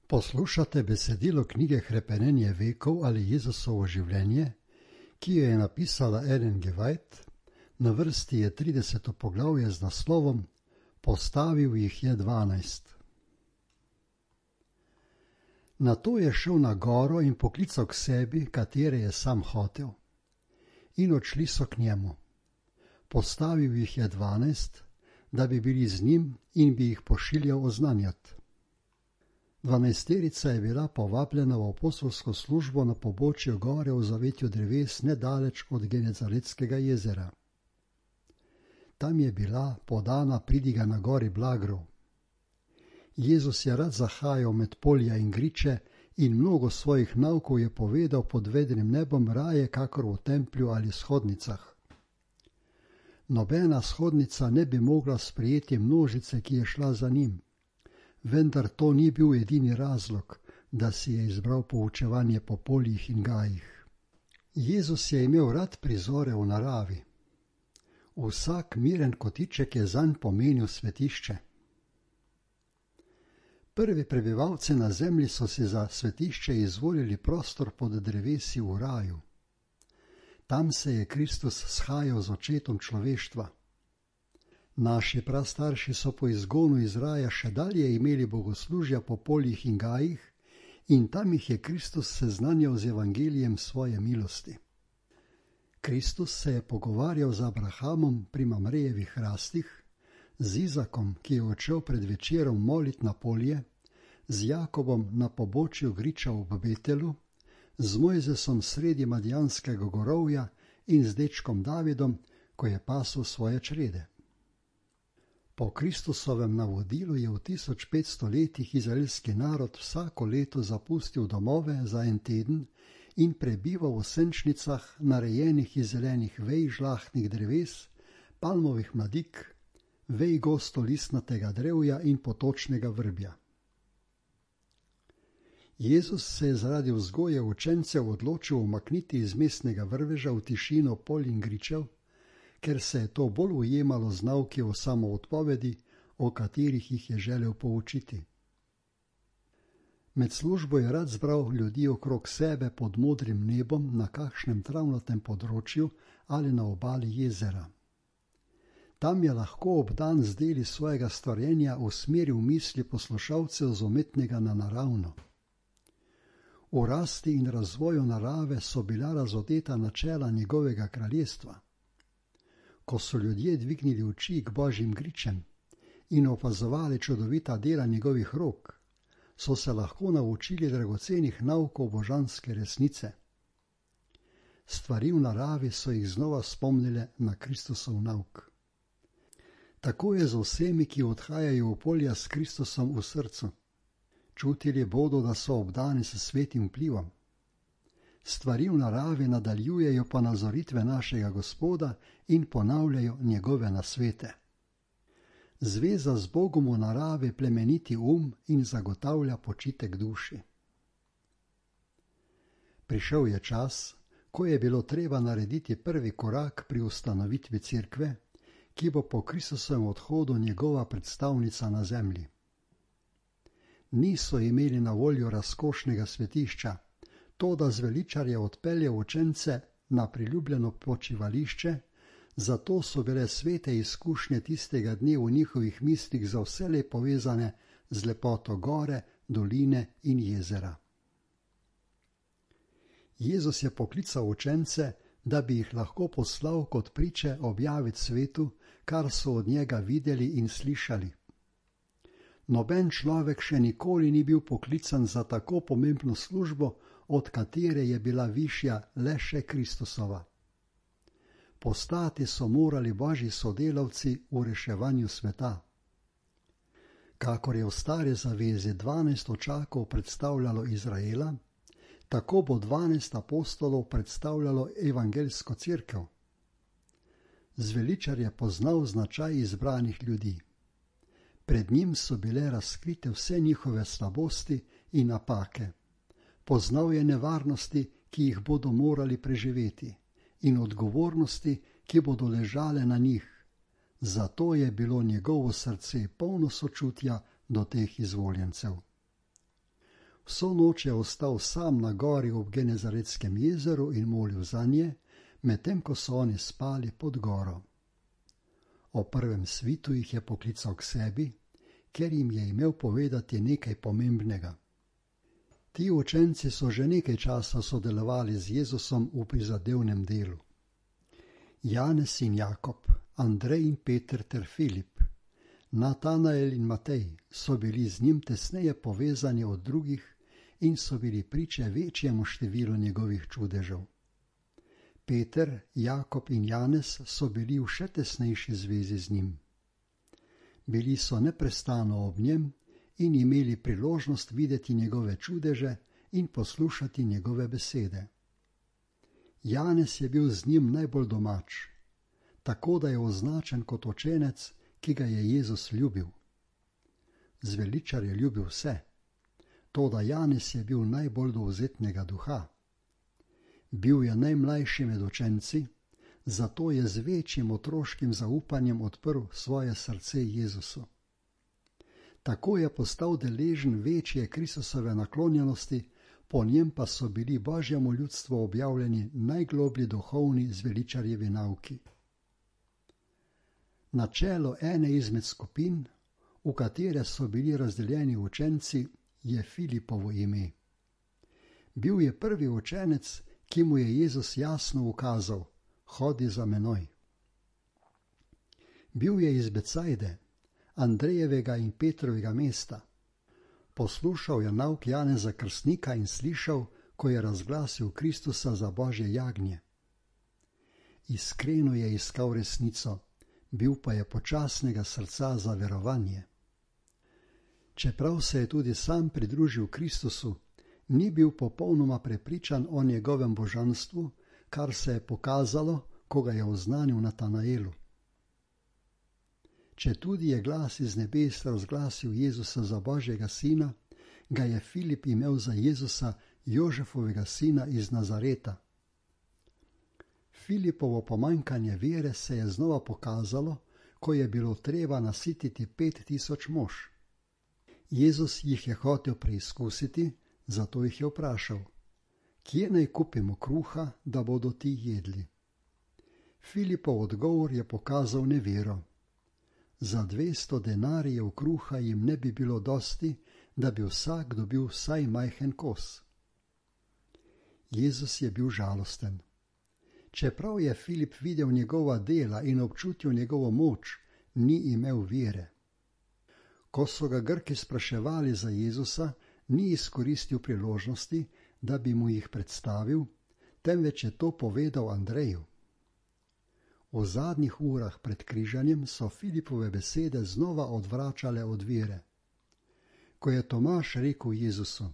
Poslušate besedilo knjige Hrepenenje vekov ali Jezusovo življenje, ki jo je napisala Ellen G. White. Na vrsti je 30. poglavje z naslovom Postavil jih je 12. Nato je šel na goro in poklical k sebi, katere je sam hotel. In odšli so k njemu. Postavil jih je 12, da bi bili z njim in bi jih pošiljal oznanjati. 12-terica je bila povabljena v apostolsko službo na pobočju gore v zavetju dreves nedaleč od Genezaretskega jezera. Tam je bila podana pridiga na gori Blagrov. Jezus je rad zahajal med polja in griče in mnogo svojih naukov je povedal pod vedrim nebom raje kakor v templju ali shodnicah. Nobena shodnica ne bi mogla sprejeti množice, ki je šla za njim. Vendar to ni bil edini razlog, da si je izbral poučevanje po poljih in gajih. Jezus je imel rad prizore v naravi. Vsak miren kotiček je zanj pomenil svetišče. Prvi prebivalci na zemlji so si za svetišče izvolili prostor pod drevesi v raju. Tam se je Kristus shajal z očetom človeštva. Naši prastarši so po izgonu iz raja še dalje imeli bogoslužja po poljih in gajih in tam jih je Kristus seznanjal z evangelijem svoje milosti. Kristus se je pogovarjal z Abrahamom pri Mamrejevih hrastih, z Izakom, ki je odšel pred večerom molit na polje, z Jakobom na pobočju griča v Betelu, z Mojzesom sredi Madijanskega gorovja in z dečkom Davidom, ko je pasel svoje črede. Po Kristusovem navodilu je v 1500 letih izraelski narod vsako leto zapustil domove za en teden in prebival v senčnicah, narejenih iz zelenih vej žlahtnih dreves, palmovih mladik, vej gostolistnatega drevja in potočnega vrbja. Jezus se je zaradi vzgoje učencev odločil umakniti iz mestnega vrveža v tišino polj in gričev, ker se je to bolj ujemalo z nauki o samoodpovedi, o katerih jih je želel poučiti. Med službo je rad zbral ljudi okrog sebe pod modrim nebom na kakšnem travnatem področju ali na obali jezera. Tam je lahko obdan z deli svojega stvarjenja usmeril misli poslušalcev z umetnega na naravno. V rasti in razvoju narave so bila razodeta načela njegovega kraljestva. Ko so ljudje dvignili oči k božjim gričem in opazovali čudovita dela njegovih rok, so se lahko naučili dragocenih naukov božanske resnice. Stvari v naravi so jih znova spomnile na Kristusov nauk. Tako je z vsemi, ki odhajajo v polja s Kristusom v srcu. Čutili bodo, da so obdani s svetim vplivom. Stvari v naravi nadaljujejo pa nazoritve našega Gospoda in ponavljajo njegove nasvete. Zveza z Bogom v naravi plemeniti in zagotavlja počitek duši. Prišel je čas, ko je bilo treba narediti prvi korak pri ustanovitvi cerkve, ki bo po Kristusovem odhodu njegova predstavnica na zemlji. Niso imeli na voljo razkošnega svetišča, to, da zveličar je odpeljal učence na priljubljeno počivališče, zato so bile svete izkušnje tistega dne v njihovih mislih za vselej povezane z lepoto gore, doline in jezera. Jezus je poklical učence, da bi jih lahko poslal kot priče objaviti svetu, kar so od njega videli in slišali. Noben človek še nikoli ni bil poklican za tako pomembno službo, od katere je bila višja le še Kristusova. Postati so morali božji sodelavci v reševanju sveta. Kakor je v stari zavezi 12 očakov predstavljalo Izraela, tako bo 12 apostolov predstavljalo evangeljsko cerkev. Zveličar je poznal značaj izbranih ljudi. Pred njim so bile razkrite vse njihove slabosti in napake. Poznal je nevarnosti, ki jih bodo morali preživeti, in odgovornosti, ki bodo ležale na njih. Zato je bilo njegovo srce polno sočutja do teh izvoljencev. Vso noč je ostal sam na gori ob Genezaretskem jezeru in molil zanje, medtem ko so oni spali pod goro. O prvem svitu jih je poklical k sebi, ker jim je imel povedati nekaj pomembnega. Ti učenci so že nekaj časa sodelovali z Jezusom v prizadevnem delu. Janez in Jakob, Andrej in Peter ter Filip, Natanael in Matej so bili z njim tesneje povezani od drugih in so bili priče večjemu številu njegovih čudežev. Peter, Jakob in Janez so bili v še tesnejši zvezi z njim. Bili so neprestano ob njem in imeli priložnost videti njegove čudeže in poslušati njegove besede. Janez je bil z njim najbolj domač, tako da je označen kot učenec, ki ga je Jezus ljubil. Zveličar je ljubil vse, toda Janez je bil najbolj dovzetnega duha. Bil je najmlajši med učenci, zato je z večjim otroškim zaupanjem odprl svoje srce Jezusu. Tako je postal deležen večje Kristusove naklonjenosti, po njem pa so bili Božjemu ljudstvu objavljeni najgloblji duhovni zveličarjevi nauki. Na čelo ene izmed skupin, v katere so bili razdeljeni učenci, je Filipovo ime. Bil je prvi učenec, ki mu je Jezus jasno ukazal: hodi za menoj. Bil je iz Becajde, Andrejevega in Petrovega mesta. Poslušal je nauk Janeza Krstnika in slišal, ko je razglasil Kristusa za Božje jagnje. Iskreno je iskal resnico, bil pa je počasnega srca za verovanje. Čeprav se je tudi sam pridružil Kristusu, ni bil popolnoma prepričan o njegovem božanstvu, kar se je pokazalo, ko ga je oznanil Natanaelu. Četudi je glas iz nebes razglasil Jezusa za Božjega sina, ga je Filip imel za Jezusa, Jožefovega sina iz Nazareta. Filipovo pomanjkanje vere se je znova pokazalo, ko je bilo treba nasititi 5000 mož. Jezus jih je hotel preizkusiti, zato jih je vprašal: kje naj kupimo kruha, da bodo ti jedli? Filipov odgovor je pokazal nevero. Za 200 denarijev kruha jim ne bi bilo dosti, da bi vsak dobil vsaj majhen kos. Jezus je bil žalosten. Čeprav je Filip videl njegova dela in občutil njegovo moč, ni imel vere. Ko so ga Grki spraševali za Jezusa, ni izkoristil priložnosti, da bi mu jih predstavil, temveč je to povedal Andreju. V zadnjih urah pred križanjem so Filipove besede znova odvračale od vere. Ko je Tomaž rekel Jezusu: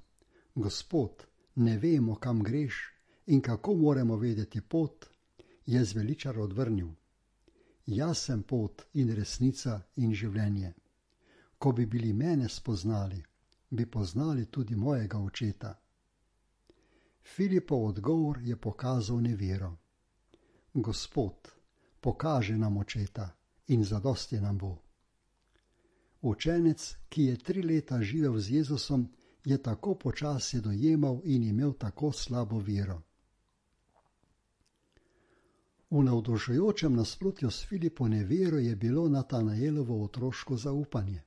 Gospod, ne vemo, kam greš in kako moramo vedeti pot, je zveličar odvrnil: Jaz sem pot in resnica in življenje. Ko bi bili mene spoznali, bi poznali tudi mojega očeta. Filipov odgovor je pokazal nevero. Gospod, pokaži nam očeta in zadosti nam bo. Učenec, ki je 3 leta živel z Jezusom, je tako počasi dojemal in imel tako slabo vero. V navdušujočem nasprotju s Filipo nevero je bilo Natanaelovo otroško zaupanje.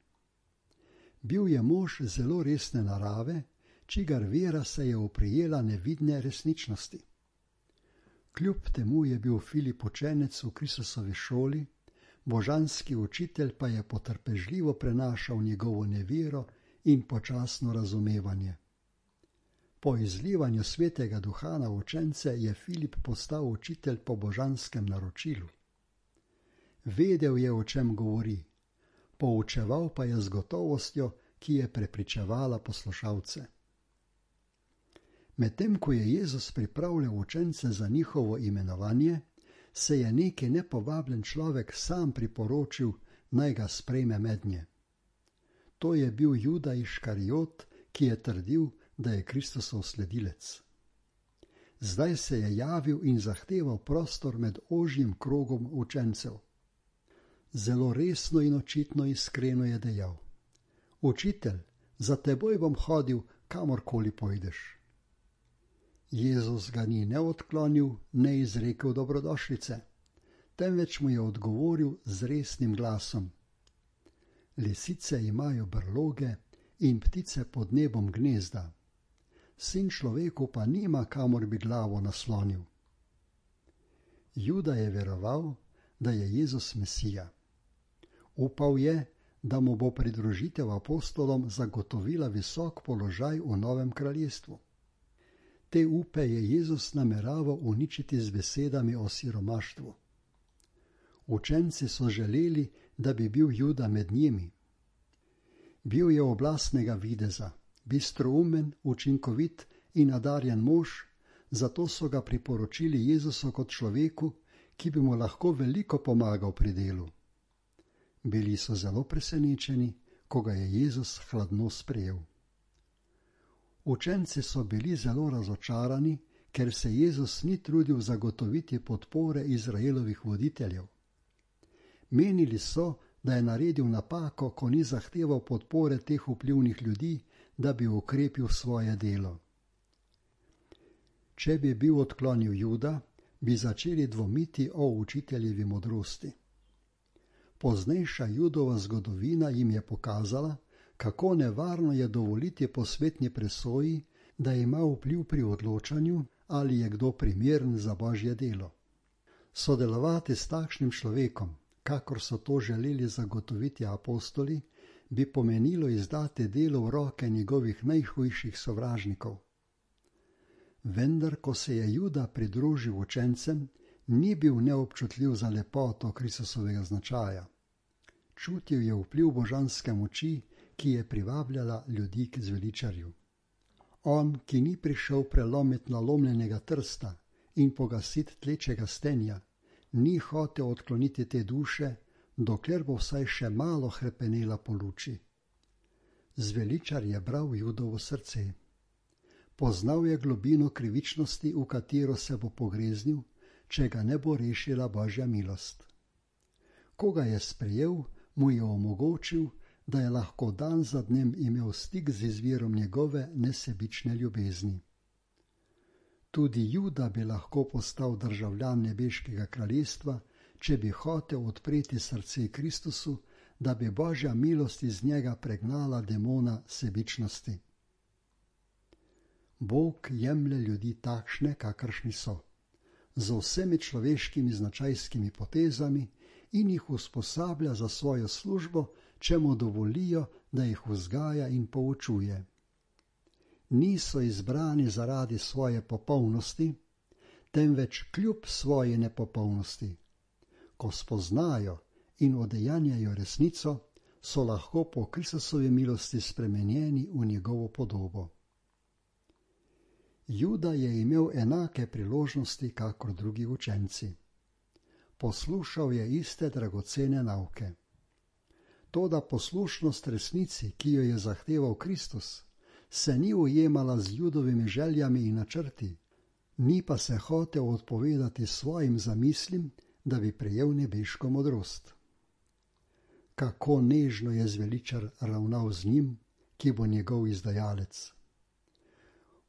Bil je mož zelo resne narave, čigar vera se je oprijela nevidne resničnosti. Kljub temu je bil Filip učenec v Kristusovi šoli, božanski učitelj pa je potrpežljivo prenašal njegovo nevero in počasno razumevanje. Po izlivanju svetega duha na učence je Filip postal učitelj po božanskem naročilu. Vedel je, o čem govori, poučeval pa je z gotovostjo, ki je prepričevala poslušalce. Medtem ko je Jezus pripravljal učence za njihovo imenovanje, se je neki nepovabljen človek sam priporočil, naj ga sprejme mednje. To je bil Juda Iškarijot, ki je trdil, da je Kristusov sledilec. Zdaj se je javil in zahteval prostor med ožjim krogom učencev. Zelo resno in očitno iskreno je dejal: Učitelj, za teboj bom hodil, kamorkoli pojdeš. Jezus ga ni ne odklonil, ne izrekel dobrodošlice, temveč mu je odgovoril z resnim glasom. Lisice imajo brloge in ptice pod nebom gnezda, sin človeku pa nima, kamor bi glavo naslonil. Juda je veroval, da je Jezus Mesija. Upal je, da mu bo pridružitev apostolom zagotovila visok položaj v novem kraljestvu. Te upe je Jezus nameraval uničiti z besedami o siromaštvu. Učenci so želeli, da bi bil Juda med njimi. Bil je oblastnega videza, bistroumen, učinkovit in nadarjen mož, zato so ga priporočili Jezusu kot človeku, ki bi mu lahko veliko pomagal pri delu. Bili so zelo presenečeni, ko ga je Jezus hladno sprejel. Učenci so bili zelo razočarani, ker se Jezus ni trudil zagotoviti podpore Izraelovih voditeljev. Menili so, da je naredil napako, ko ni zahteval podpore teh vplivnih ljudi, da bi ukrepil svoje delo. Če bi bil odklonil Juda, bi začeli dvomiti o učiteljevi modrosti. Poznejša Judova zgodovina jim je pokazala, kako nevarno je dovoliti posvetni presoji, da ima vpliv pri odločanju, ali je kdo primeren za Božje delo. Sodelovati s takšnim človekom, kakor so to želeli zagotoviti apostoli, bi pomenilo izdati delo v roke njegovih najhujših sovražnikov. Vendar, ko se je Juda pridružil učencem, ni bil neobčutljiv za lepoto Kristusovega značaja. Čutil je vpliv božanske moči, ki je privabljala ljudi k zveličarju. On, ki ni prišel prelomiti nalomljenega trsta in pogasiti tlečega stenja, ni hotel odkloniti te duše, dokler bo vsaj še malo hrepenela po luči. Zveličar je bral Judovo srce. Poznal je globino krivičnosti, v katero se bo pogreznil, če ga ne bo rešila Božja milost. Ko ga je sprejel, mu je omogočil, da je lahko dan za dnem imel stik z izvirom njegove nesebične ljubezni. Tudi Juda bi lahko postal državljan nebeškega kraljestva, če bi hotel odpreti srce Kristusu, da bi Božja milost iz njega pregnala demona sebičnosti. Bog jemlje ljudi takšne, kakršni so, z vsemi človeškimi značajskimi potezami in jih usposablja za svojo službo, če mu dovolijo, da jih vzgaja in poučuje. Niso izbrani zaradi svoje popolnosti, temveč kljub svoji nepopolnosti. Ko spoznajo in odejanjajo resnico, so lahko po Kristusovi milosti spremenjeni v njegovo podobo. Juda je imel enake priložnosti kakor drugi učenci. Poslušal je iste dragocene nauke. Toda poslušnost resnici, ki jo je zahteval Kristus, se ni ujemala z Judovimi željami in načrti, ni pa se hotel odpovedati svojim zamislim, da bi prejel nebeško modrost. Kako nežno je zveličar ravnal z njim, ki bo njegov izdajalec.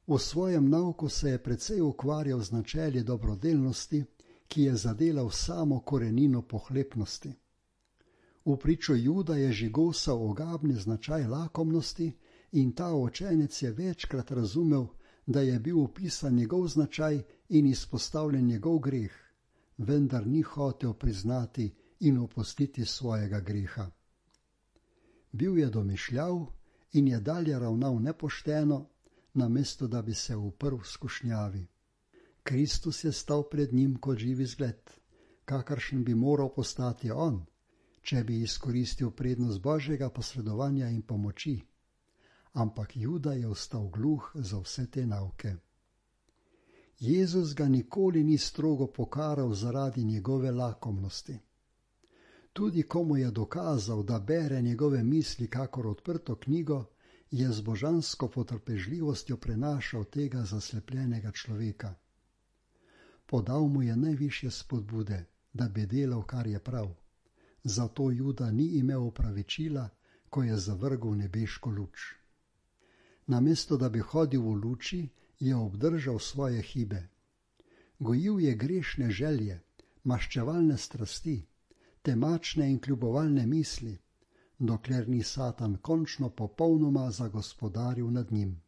V svojem nauku se je precej ukvarjal z načeli dobrodelnosti, ki je zadela v samo korenino pohlepnosti. V pričo Juda je žigosal ogabni značaj lakomnosti in ta učenec je večkrat razumel, da je bil opisan njegov značaj in izpostavljen njegov greh, vendar ni hotel priznati in opustiti svojega greha. Bil je domišljav in je dalje ravnal nepošteno, namesto da bi se uprl skušnjavi. Kristus je stal pred njim kot živi zgled, kakršen bi moral postati on, če bi izkoristil prednost Božjega posredovanja in pomoči. Ampak Juda je ostal gluh za vse te nauke. Jezus ga nikoli ni strogo pokaral zaradi njegove lakomnosti. Tudi ko mu je dokazal, da bere njegove misli kakor odprto knjigo, je z božansko potrpežljivostjo prenašal tega zaslepljenega človeka. Podal mu je najvišje spodbude, da bi delal, kar je prav. Zato Juda ni imel opravičila, ko je zavrgel nebeško luč. Namesto da bi hodil v luči, je obdržal svoje hibe. Gojil je grešne želje, maščevalne strasti, temačne in kljubovalne misli, dokler ni Satan končno popolnoma zagospodaril nad njim.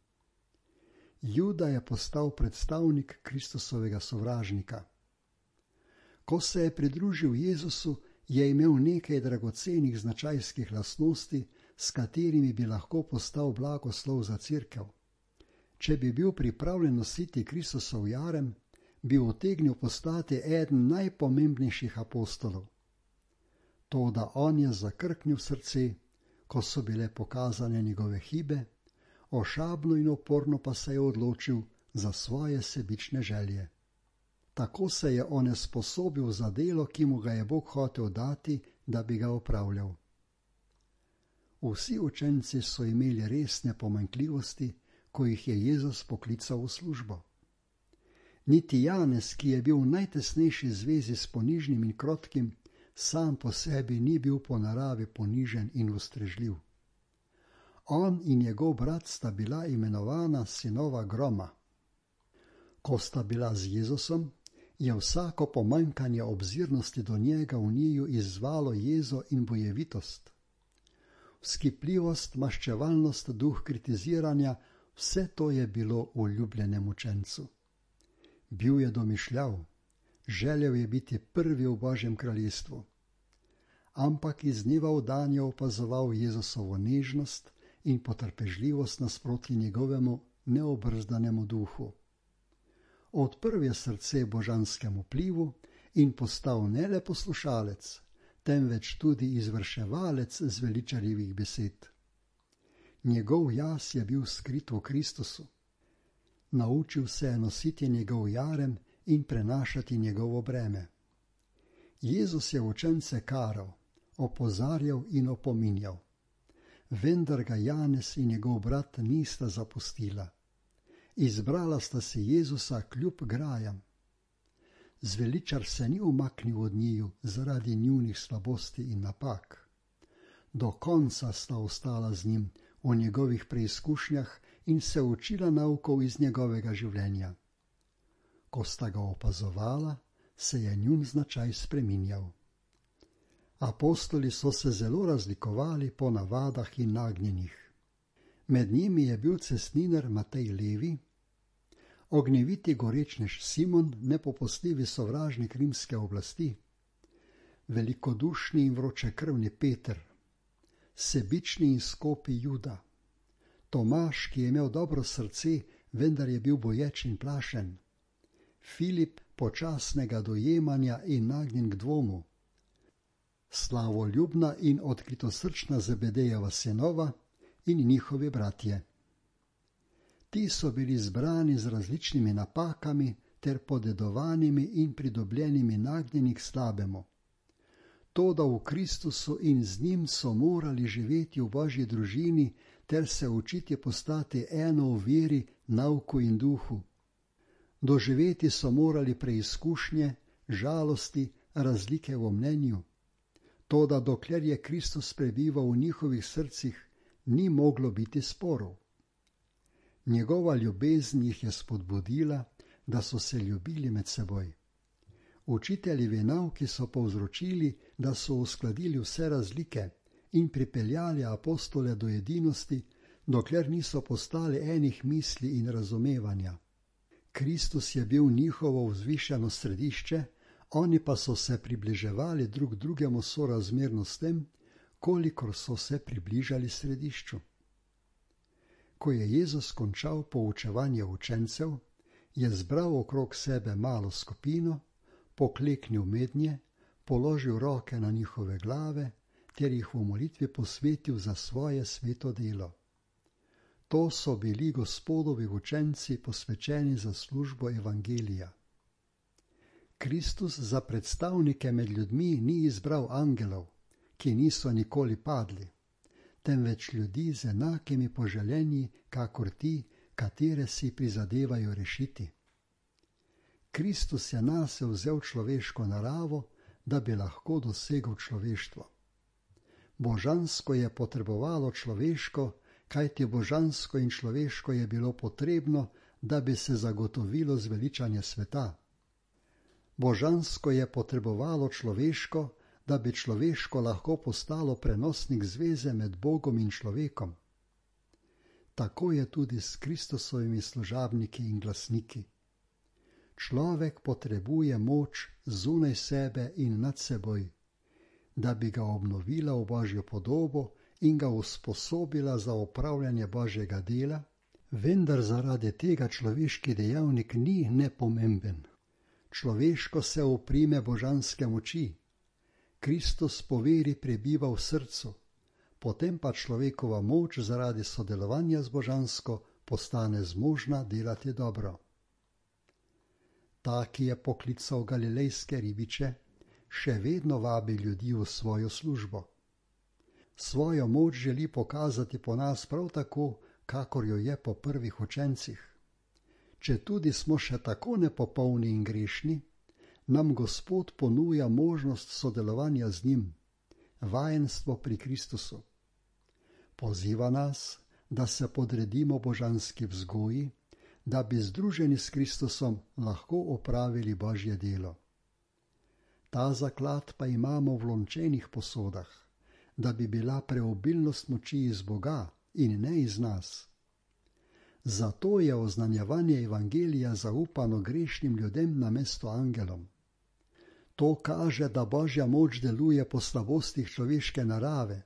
Juda je postal predstavnik Kristusovega sovražnika. Ko se je pridružil Jezusu, je imel nekaj dragocenih značajskih lastnosti, s katerimi bi lahko postal blagoslov za cerkev. Če bi bil pripravljen nositi Kristusov jarem, bi utegnil postati eden najpomembnejših apostolov. Toda on je zakrknil srce, ko so bile pokazane njegove hibe, ošabno in oporno pa se je odločil za svoje sebične želje. Tako se je onesposobil za delo, ki mu ga je Bog hotel dati, da bi ga opravljal. Vsi učenci so imeli resne pomanjkljivosti, ko jih je Jezus poklical v službo. Niti Janez, ki je bil v najtesnejši zvezi s ponižnim in krotkim, sam po sebi ni bil po naravi ponižen in ustrežljiv. On in njegov brat sta bila imenovana sinova groma. Ko sta bila z Jezusom, je vsako pomanjkanje obzirnosti do njega v njiju izzvalo jezo in bojevitost. Vzkipljivost, maščevalnost, duh kritiziranja, vse to je bilo v ljubljenem učencu. Bil je domišljav, želel je biti prvi v Božjem kraljestvu. Ampak iz dneva v dan je opazoval Jezusovo nežnost in potrpežljivost nasproti njegovemu neobrzdanemu duhu. Odprl je srce božanskemu vplivu in postal ne le poslušalec, temveč tudi izvrševalec zveličarjevih besed. Njegov jaz je bil skrit v Kristusu. Naučil se je nositi njegov jarem in prenašati njegovo breme. Jezus je učence karal, opozarjal in opominjal. Vendar ga Janez in njegov brat nista zapustila. Izbrala sta si Jezusa kljub grajam. Zveličar se ni umaknil od njiju zaradi njunih slabosti in napak. Do konca sta ostala z njim v njegovih preizkušnjah in se učila naukov iz njegovega življenja. Ko sta ga opazovala, se je njun značaj spreminjal. Apostoli so se zelo razlikovali po navadah in nagnjenjih. Med njimi je bil cestninar Matej Levi, ognjeviti gorečnež Simon, nepopustljivi sovražnik rimske oblasti, velikodušni in vročekrvni Peter, sebični in skopi Juda, Tomaž, ki je imel dobro srce, vendar je bil boječ in plašen, Filip, počasnega dojemanja in nagnjen k dvomu, slavoljubna in odkritosrčna Zebedejeva sinova in njihovi bratje. Ti so bili zbrani z različnimi napakami ter podedovanimi in pridobljenimi nagnjeni k slabemu. Toda v Kristusu in z njim so morali živeti v Božji družini ter se učiti postati eno v veri, nauku in duhu. Doživeti so morali preizkušnje, žalosti, razlike v mnenju. Toda dokler je Kristus prebival v njihovih srcih, ni moglo biti sporov. Njegova ljubezen jih je spodbudila, da so se ljubili med seboj. Učiteljevi nauki so povzročili, da so uskladili vse razlike in pripeljali apostole do edinosti, dokler niso postali enih misli in razumevanja. Kristus je bil njihovo vzvišeno središče, oni pa so se približevali drug drugemu sorazmerno s tem, kolikor so se približali središču. Ko je Jezus končal poučevanje učencev, je zbral okrog sebe malo skupino, pokleknil mednje, položil roke na njihove glave ter jih v molitvi posvetil za svoje sveto delo. To so bili Gospodovi učenci, posvečeni za službo evangelija. Kristus za predstavnike med ljudmi ni izbral angelov, ki niso nikoli padli, temveč ljudi z enakimi poželjenji, kakor ti, katere si prizadevajo rešiti. Kristus je nase vzel človeško naravo, da bi lahko dosegel človeštvo. Božansko je potrebovalo človeško, kajti božansko in človeško je bilo potrebno, da bi se zagotovilo zveličanje sveta. Božansko je potrebovalo človeško, da bi človeško lahko postalo prenosnik zveze med Bogom in človekom. Tako je tudi s Kristusovimi služabniki in glasniki. Človek potrebuje moč zunaj sebe in nad seboj, da bi ga obnovila v Božjo podobo in ga usposobila za opravljanje Božjega dela, vendar zaradi tega človeški dejavnik ni nepomemben. Človeško se oprime božanske moči. Kristus po veri prebiva v srcu, potem pa človekova moč zaradi sodelovanja z božansko postane zmožna delati dobro. Ta, ki je poklical galilejske ribiče, še vedno vabi ljudi v svojo službo. Svojo moč želi pokazati po nas prav tako, kakor jo je po prvih učencih. Četudi smo še tako nepopolni in grešni, nam Gospod ponuja možnost sodelovanja z njim, vajenstvo pri Kristusu. Poziva nas, da se podredimo božanski vzgoji, da bi združeni s Kristusom lahko opravili Božje delo. Ta zaklad pa imamo v lončenih posodah, da bi bila preobilnost moči iz Boga in ne iz nas. Zato je oznanjevanje evangelija zaupano grešnim ljudem namesto angelom. To kaže, da Božja moč deluje po slabostih človeške narave.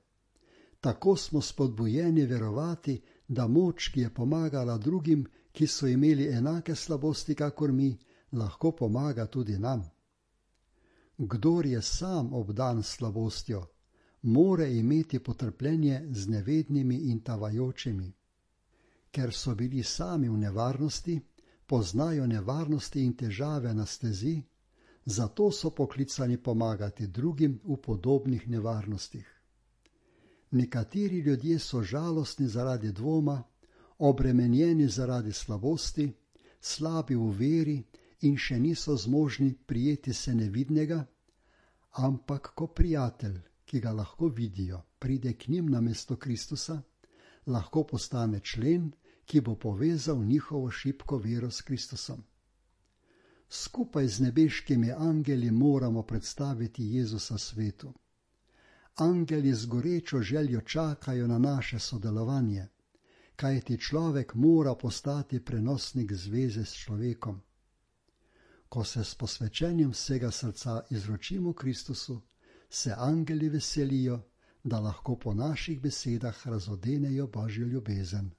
Tako smo spodbujeni verovati, da moč, ki je pomagala drugim, ki so imeli enake slabosti kakor mi, lahko pomaga tudi nam. Kdor je sam obdan s slabostjo, more imeti potrpljenje z nevednimi in tavajočimi. Ker so bili sami v nevarnosti, poznajo nevarnosti in težave na stezi, zato so poklicani pomagati drugim v podobnih nevarnostih. Nekateri ljudje so žalostni zaradi dvoma, obremenjeni zaradi slabosti, slabi v veri in še niso zmožni prijeti se nevidnega, ampak ko prijatelj, ki ga lahko vidijo, pride k njim namesto Kristusa, lahko postane člen, ki bo povezal njihovo šibko vero s Kristusom. Skupaj z nebeškimi angeli moramo predstaviti Jezusa svetu. Angeli z gorečo željo čakajo na naše sodelovanje, kajti človek mora postati prenosnik zveze s človekom. Ko se s posvečenjem vsega srca izročimo Kristusu, se angeli veselijo, da lahko po naših besedah razodenejo Božjo ljubezen.